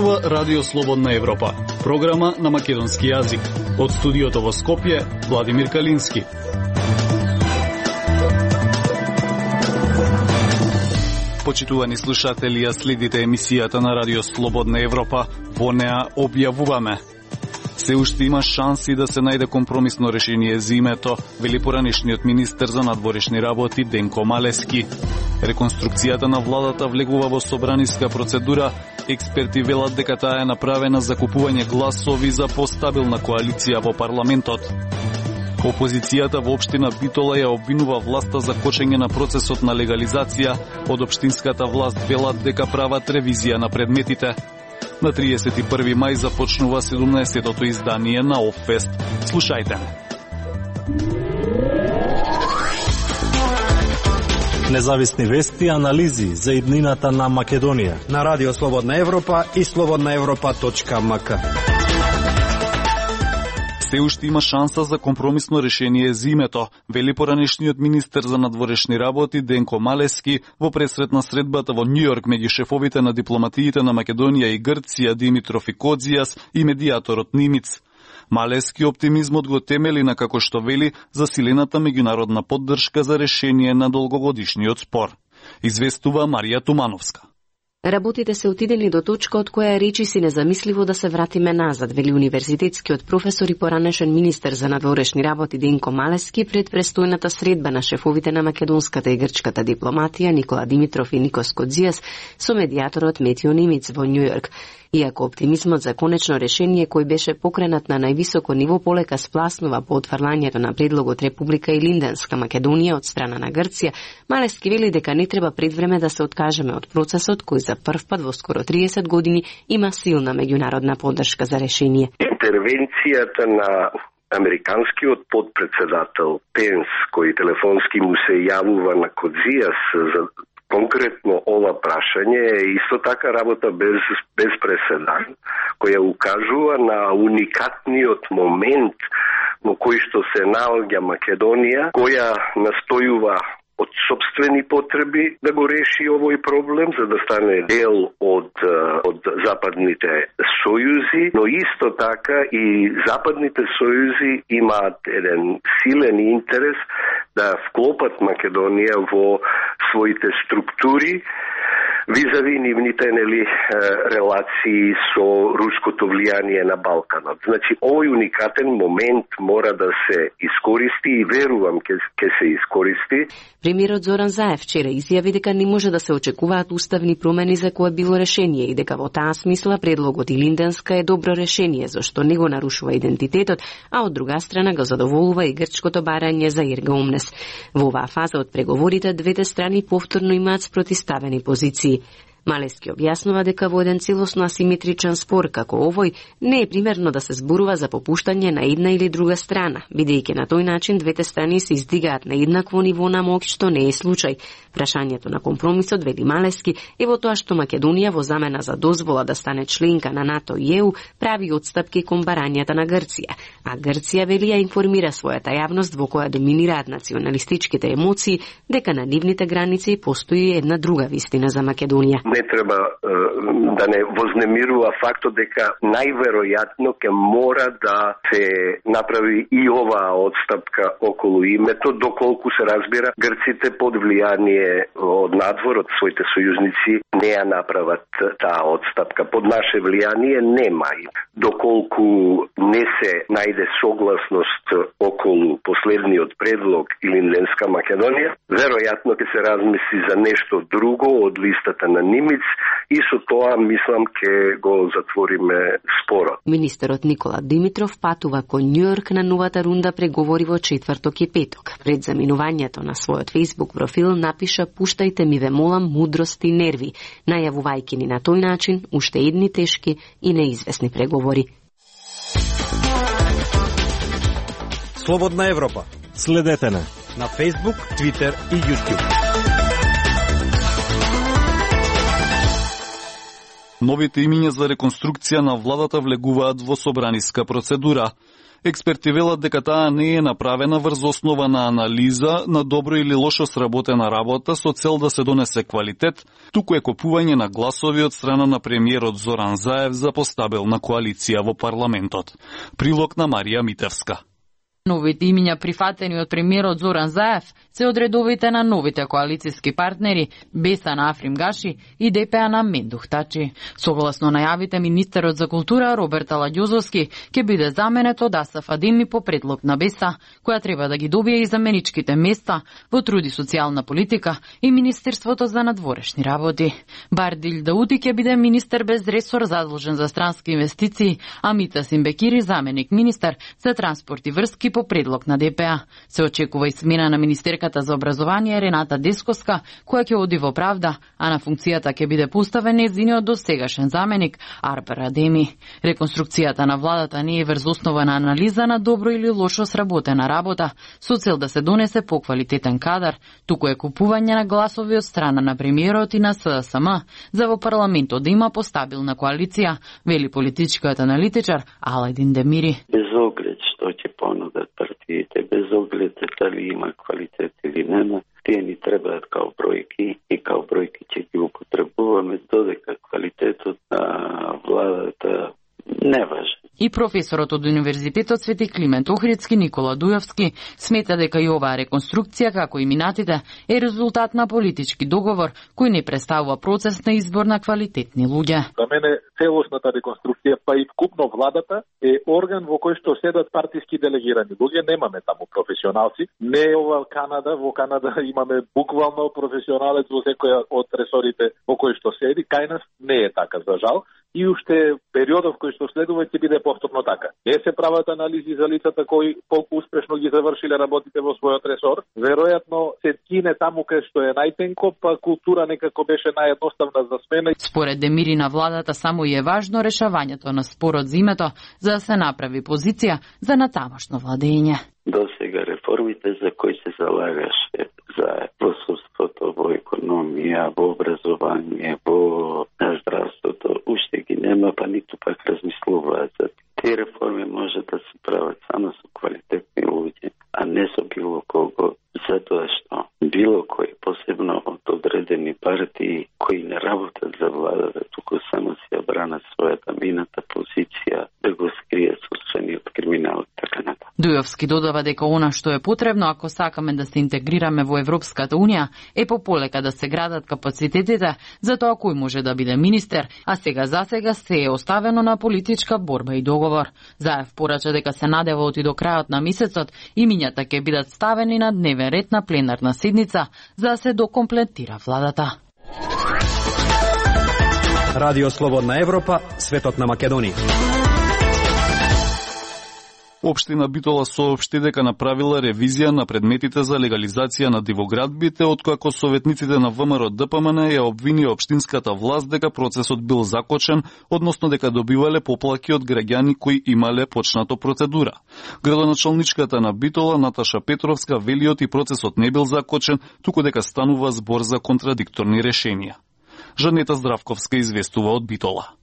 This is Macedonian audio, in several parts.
Зборува Радио Слободна Европа, програма на македонски јазик. Од студиото во Скопје, Владимир Калински. Почитувани слушатели, ја следите емисијата на Радио Слободна Европа. Во неа објавуваме: се уште има шанси да се најде компромисно решение за името, вели поранешниот министер за надворешни работи Денко Малески. Реконструкцијата на владата влегува во собраниска процедура. Експерти велат дека таа е направена за купување гласови за постабилна коалиција во парламентот. Опозицијата во општина Битола ја обвинува власта за кочење на процесот на легализација. Од општинската власт велат дека прават ревизија на предметите. На 31 мај започнува 17-тото издание на Оффест. Слушајте ме. Независни вести и анализи за иднината на Македонија на Радио Слободна Европа и slobodnaevropa.mk. Се уште има шанса за компромисно решение за името, вели поранешниот министер за надворешни работи Денко Малески во пресретна средбата во Њујорк меѓу шефовите на дипломатиите на Македонија и Грција Димитров и Кодзијас и медијаторот Нимиц. Малески оптимизмот го темели на, како што вели, засилената меѓународна поддршка за решение на долгогодишниот спор. Известува Марија Тумановска. Работите се отидени до точка од која речи си незамисливо да се вратиме назад, вели универзитетскиот професор и поранешен министер за надворешни работи Денко Малески пред престојната средба на шефовите на македонската и грчката дипломатија Никола Димитров и Никос Кодзијас со медијаторот Метио Нимиц во Њујорк. Иако оптимизмот за конечно решение кој беше покренат на највисоко ниво полека спласнува по отфрлањето на предлогот Република и Линденска Македонија од страна на Грција, Малески вели дека не треба пред време да се откажеме од процесот кој за прв пат во скоро 30 години има силна меѓународна поддршка за решение. Интервенцијата на американскиот подпредседател Пенс, кој телефонски му се јавува на Кодзијас за конкретно ова прашање, е исто така работа без преседан, која укажува на уникатниот момент во кој што се наоѓа Македонија, која настојува од собствени потреби да го реши овој проблем, за да стане дел од западните сојузи, но исто така и западните сојузи имаат еден силен интерес да вклопат Македонија во своите структури визави нивните релации со руското влијание на Балканот. Значи, овој уникатен момент мора да се искористи и верувам ќе се искористи. Премиерот Зоран Заев вчера изјави дека не може да се очекуваат уставни промени за кое било решение и дека во таа смисла предлогот и Линденска е добро решение, зашто не го нарушува идентитетот, а од друга страна го задоволува и грчкото барање за Ирга Умнес. Во оваа фаза од преговорите двете страни повторно имаат спротивставени позиции. Малески објаснува дека во еден целосно асиметричен спор како овој не е примерно да се зборува за попуштање на една или друга страна, бидејќи на тој начин двете страни се издигаат на еднакво ниво на моќ, што не е случај. Прашањето на компромисот, вели Малески, е во тоа што Македонија во замена за дозвола да стане членка на НАТО и ЕУ прави отстапки кон барањата на Грција, а Грција вели ја информира својата јавност во која доминираат националистичките емоции дека на нивните граници постои една друга вистина за Македонија. Не треба да не вознемирува фактот дека најверојатно ќе мора да се направи и оваа отстапка околу името, доколку се разбира грците под влијание од надвор, од своите сојузници, не ја направат таа отстапка. Под наше влијание нема. Доколку не се најде согласност околу последниот предлог и Линденска Македонија, веројатно ќе се размисли за нешто друго од листата на Нимиц и со тоа, мислам, ќе го затвориме спорот. Министерот Никола Димитров патува кон Њујорк на новата рунда преговори во четврток и петок. Пред заминувањето на својот Facebook профил напиша: "Пуштајте ми, ве молам, мудрост и нерви", најавувајќи ни на тој начин уште едни тешки и неизвестни преговори. Слободна Европа. Следете на Facebook, Twitter и YouTube. Новите имиња за реконструкција на владата влегуваат во собраниска процедура. Експерти велат дека таа не е направена врз основа на анализа на добро или лошо сработена работа со цел да се донесе квалитет, туку е купување на гласови од страна на премиерот Зоран Заев за постабилна коалиција во парламентот. Прилог на Марија Митевска. Новите имиња прифатени од премиерот Зоран Заев се од редовите на новите коалициски партнери Беса на Африм Гаши и ДПА на Мендух Тачи. Согласно најавите, министерот за култура Роберт Аладјозовски ќе биде заменет од Асаф Адеми по предлог на Беса, која треба да ги добие и заменичките места во труд и социјална политика и Министерството за надворешни работи. Бардил Даути ќе биде министер без ресор задолжен за странски инвестиции, а Мита Симбекири заменик министер за транспорт и врски по предлог на ДПА. Се очекува и смена на министерката за образование Рената Десковска, која ќе оди во правда, а на функцијата ќе биде поставен нејзиниот досегашен заменик Арбер Адеми. Реконструкцијата на владата не е врз основа на анализа на добро или лошо сработена работа, со цел да се донесе поквалитетен кадар, туку е купување на гласови од страна на премиерот и на СДСМ за во парламентот да има постабилна коалиција, вели политичкиот аналитичар Аладин Демири. Без оглед што ќе понудат партиите, без оглед дали има квалитет или нема, тие ни требаат као бројки и као бројки ќе ги употребуваме додека квалитетот на владата не важен. И професорот од Универзитетот Свети Климент Охридски Никола Дујовски смета дека и оваа реконструкција, како и минатите, е резултат на политички договор кој не представува процес на избор на квалитетни луѓе. За мене целосната реконструкција, па и вкупно владата, е орган во кој што седат партиски делегирани луѓе, немаме таму професионалци. Не е ова Канада, во Канада имаме буквално професионалец во секоја од ресорите во кој што седи, кај нас не е така за жал. И уште периодов кој што следува ќе биде повторно така. Не се прават анализи за лицата кои колку успешно ги завршиле работите во својот ресор. Веројатно се ткине таму кај што е најтенко, па култура некако беше наједноставна за смена. Според Демири на владата само и е важно решавањето на спорот за името за да се направи позиција за натамошно владење. До сега реформите за кои се залагаше за во судството, во економија, во образование, во здравството, уште ги нема, па ниту пак размислуваат за тие реформи може да се прават само со квалитетни луѓе, а не со било кого, затоа што било кој, посебно од одредени партии кои не работат за владата, туку само си ја бранат својата мината позиција да го скрие собствениот криминал, така натаму. Дујовски додава дека она што е потребно ако сакаме да се интегрираме во Европската Унија е пополека да се градат капацитетите за тоа кој може да биде министер, а сега се е оставено на политичка борба и договор. Заев порача дека се надева оти до крајот на месецот имињата ќе бидат ставени на дневен ред на пленарна седница за да се докомплетира владата. Радио Слободна Европа, светот на Македонија. Општина Битола соопшти дека направила ревизија на предметите за легализација на дивоградбите, откако советниците на ВМРО ДПМН ја обвини општинската власт дека процесот бил закочен, односно дека добивале поплаки од граѓани кои имале почнато процедура. Градоначалничката на Битола Наташа Петровска велиот и процесот не бил закочен, туку дека станува збор за контрадикторни решенија. Жанета Здравковска известува од Битола.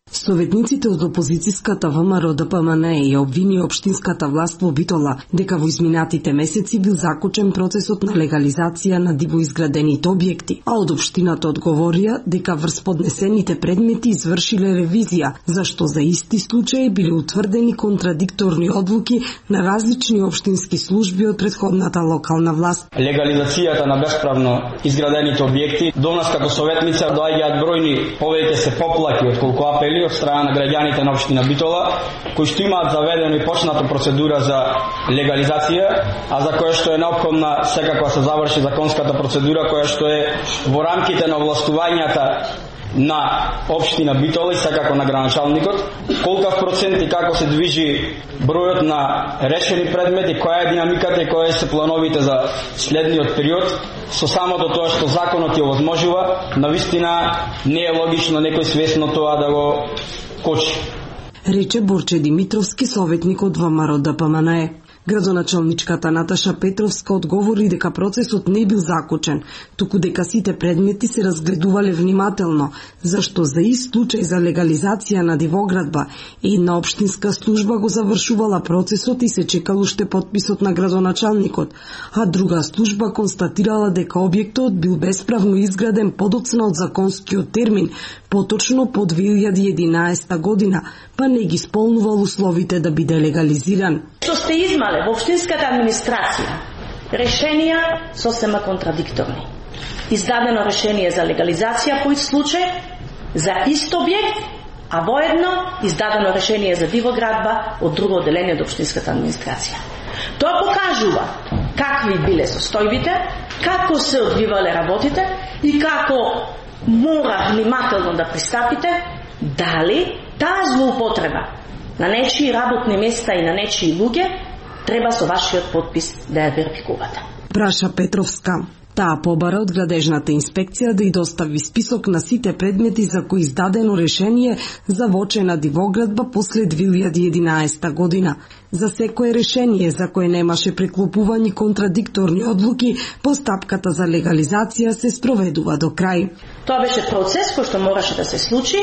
Советниците од опозицијската ВМРО ДПМН ја обвини општинската власт во Битола дека во изминатите месеци бил закочен процесот на легализација на дивоизградените објекти, а од општината одговорија дека врз поднесените предмети извршиле ревизија, зашто за исти случаи биле утврдени контрадикторни одлуки на различни општински служби од претходната локална власт. Легализацијата на бесправно изградените објекти до нас како советница доаѓаат бројни повеќе се поплаки отколку апели од страна на граѓаните на општина Битола, кои што имаат заведено и почната процедура за легализација, а за која што е неопходна секако се заврши законската процедура, која што е во рамките на овластувањата на општина Битола и секако на градоначалникот, колкав процент и како се движи бројот на решени предмети, која е динамиката и кои се плановите за следниот период, со самото тоа што законот ја овозможува, навистина не е логично некој свесно тоа да го кочи. Рече Борче Димитровски, советник од ВМРО ДПМН. Градоначалничката Наташа Петровска одговори дека процесот не бил закочен, туку дека сите предмети се разгледувале внимателно, зашто за ист случај за легализација на дивоградба една општинска служба го завршувала процесот и се чекал уште подписот на градоначалникот, а друга служба констатирала дека објектот бил бесправно изграден подоцна од законскиот термин, поточно по 2011 година, па не ги исполнувал условите да биде легализиран. Што сте измале во општинската администрација, решенија сосема контрадикторни. Издадено решение за легализација по ист случај, за ист објект, а воедно издадено решение за дивоградба од друго одделение од општинската администрација. Тоа покажува какви биле состојбите, како се одвивале работите и како мора внимателно да пристапите дали таа злоупотреба на нечии работни места и на нечии луѓе треба со вашиот подпис да ја верификувате. Праша Петровска. Таа побара од градежната инспекција да ја достави список на сите предмети за кои издадено решение за вочена дивоградба после 2011 година. За секое решение за кое немаше преклопување контрадикторни одлуки, постапката за легализација се спроведува до крај. Тоа беше процес кој што мораше да се случи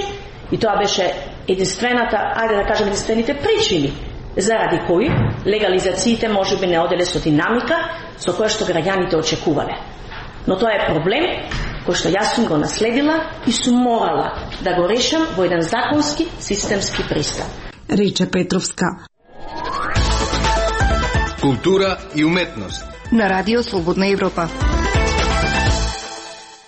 и тоа беше единствената, ајде да кажем единствените причини заради кои легализациите можеби не оделе со динамика со која што граѓаните очекувале. Но тоа е проблем кој што јас сум го наследила и сум морала да го решам во еден законски, системски пристап. Рече Петровска. Култура и уметност на Радио Слободна Европа.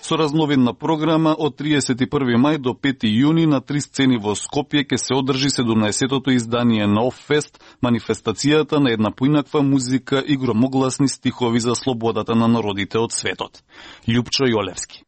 Со разновидна програма од 31 мај до 5 јуни на 3 сцени во Скопје ќе се одржи 17-тото издание на Оффест, манифестацијата на една поинаква музика и громогласни стихови за слободата на народите од светот. Љупчо Јолевски.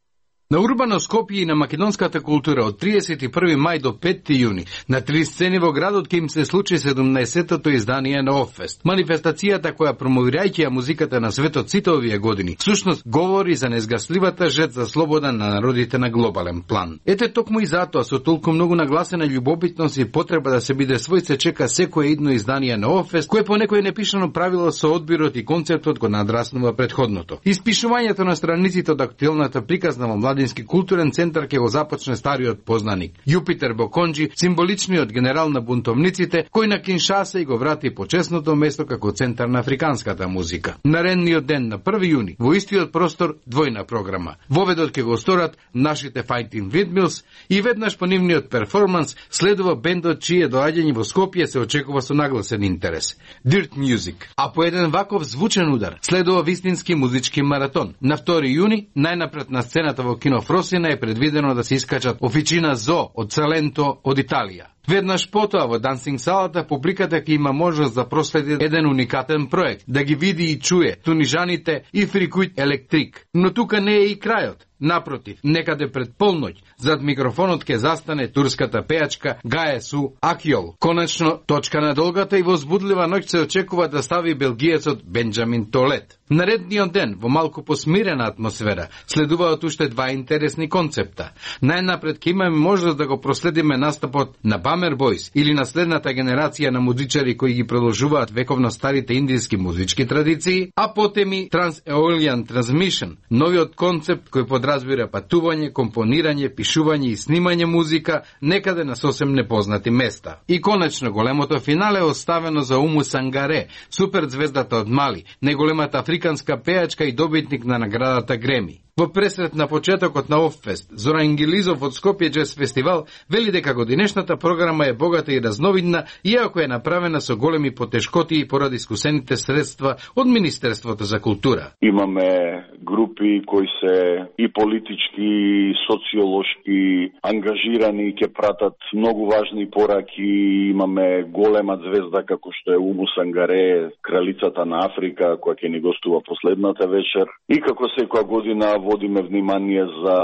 На Урбано Скопје и на македонската култура од 31 мај до 5 јуни на 3 сцени во градот ќе им се случи 17-тото издание на Оффест. Манифестацијата која промовирајќи ја музиката на светот сите овие години, всушност говори за незгасливата жет за слобода на народите на глобален план. Ете токму и затоа со толку многу нагласена љубобитност и потреба да се биде свој се чека секое идно издание на Оффест, кое по некој непишано правило со одбирот и концептот го надраснува претходното. Испишувањето на страниците од актуелната приказна во Младински културен центар ќе го започне стариот познаник Јупитер Боконџи, символичниот генерал на бунтовниците, кој на Киншаса и го врати почесното место како центар на африканската музика. Наредниот ден на 1 јуни во истиот простор двојна програма. Воведот ќе го сторат нашите Fighting Windmills и веднаш по нивниот перформанс следува бендот чие доаѓање во Скопје се очекува со нагласен интерес. Dirt Music. А по еден ваков звучен удар следува вистински музички маратон. На 2 јуни најнапред на сцената во Кино Фросина е предвидено да се искачат Офичина Зо од Саленто од Италија. Веднаш потоа во Дансинг салата публиката ќе има можност да проследи еден уникатен проект, да ги види и чуе Тунижаните и Фрикуит Електрик. Но тука не е и крајот. Напротив, некаде пред полноќ, зад микрофонот ќе застане турската пејачка Гаесу Акјол. Конечно, точка на долгата и возбудлива ноќ се очекува да стави белгиецот Бенџамин Толет. Наредниот ден, во малку посмирена атмосфера, следуваат уште два интересни концепта. Најнапред ќе имаме можност да го проследиме настапот на Bummer Boys или наследната генерација на музичари кои ги продолжуваат вековно старите индиски музички традиции, а потем и Trans-Aeolian Transmission, новиот концепт кој подразбира патување, компонирање, пишување и снимање музика некаде на сосем непознати места. И конечно големото финале е оставено за Уму Сангаре, суперзвездата од Мали, најголемата африканска пејачка и добитник на наградата Греми. Во пресрет на почетокот на Оффест, Зора Ингилизов од Скопје Джез Фестивал вели дека годинешната програма е богата и разновидна, иако е направена со големи потешкоти и поради искусените средства од Министерството за култура. Имаме групи кои се и политички, и социолошки ангажирани, ќе пратат многу важни пораки. Имаме голема звезда како што е Уму Сангаре, кралицата на Африка, која ќе ни гостува последната вечер. И како секоја година водиме внимание за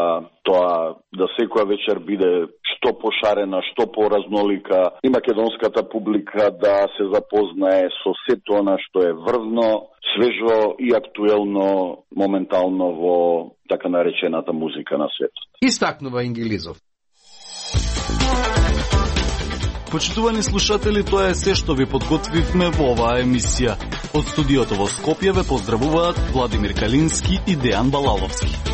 тоа да секоја вечер биде што пошарена, што поразнолика и македонската публика да се запознае со сето она што е врвно, свежо и актуелно моментално во така наречената музика на светот. Истакнува Ингилизов. Почитувани слушатели, тоа е се што ви подготвивме во оваа емисија. Од студиото во Скопје ве поздравуваат Владимир Калински и Дејан Балаловски.